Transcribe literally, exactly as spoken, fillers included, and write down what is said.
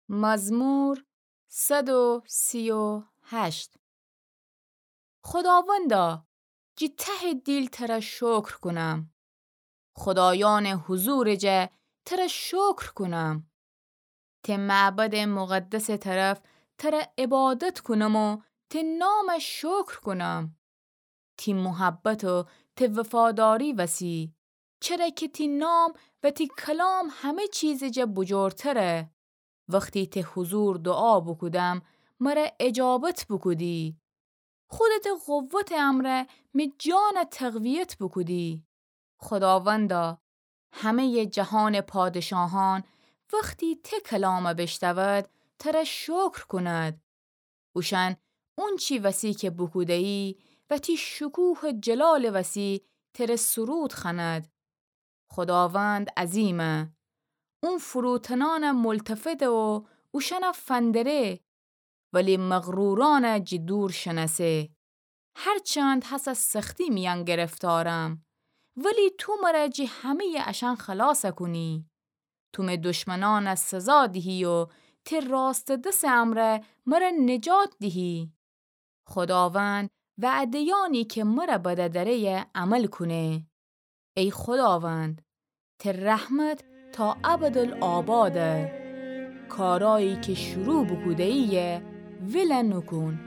مزمور صد و سی و هشت. خوداوندا، جی ته دیل تره شکر کونم. خودایأنٚ حضورٚ جا تره شکر کونم. ته معبدٚ مقدسٚ طرف تره عبادت کونم و ته نامه شکر کونم. تی محبت و ته وفاداری وسی، چره که تی نام و تی کلام همه چیزٚ جا بجورتره. وختی ته حضور دوعا بوکودم، مره اجابت بوکودی. خودتٚ قوتٚ امرأ می جانه تقویت بوکودی. خوداوندا، همه‌یٚ جهانٚ پادشاهان وختی ته کلامه بیشنود، تره شکر کونید. اوشأن اونچی وسی که بوکوده‌یی و تی شکوه و جلالٚ وسی تره سرود خوأنید. خوداوند عظیمه. اون فروتنأنه ملتفته و اوشأنه فندره، ولی مغرورأنه جی دور شنأسه. هرچند هسه سختی میأن گرفتارم، ولی تو مره جی همه‌یٚ اشأن خلاص کونی. تو می دشمنأنه سزا دیهی و تی راستٚ دسٚ امرأ مره نجات دیهی. خوداوند وعده‌یأنی که مره بده دره‌یه عمل کونه. ای خوداوند، تی رحمت تا ابدالآباده. کارایی که شروع بوکوده‌یی ول نوکون.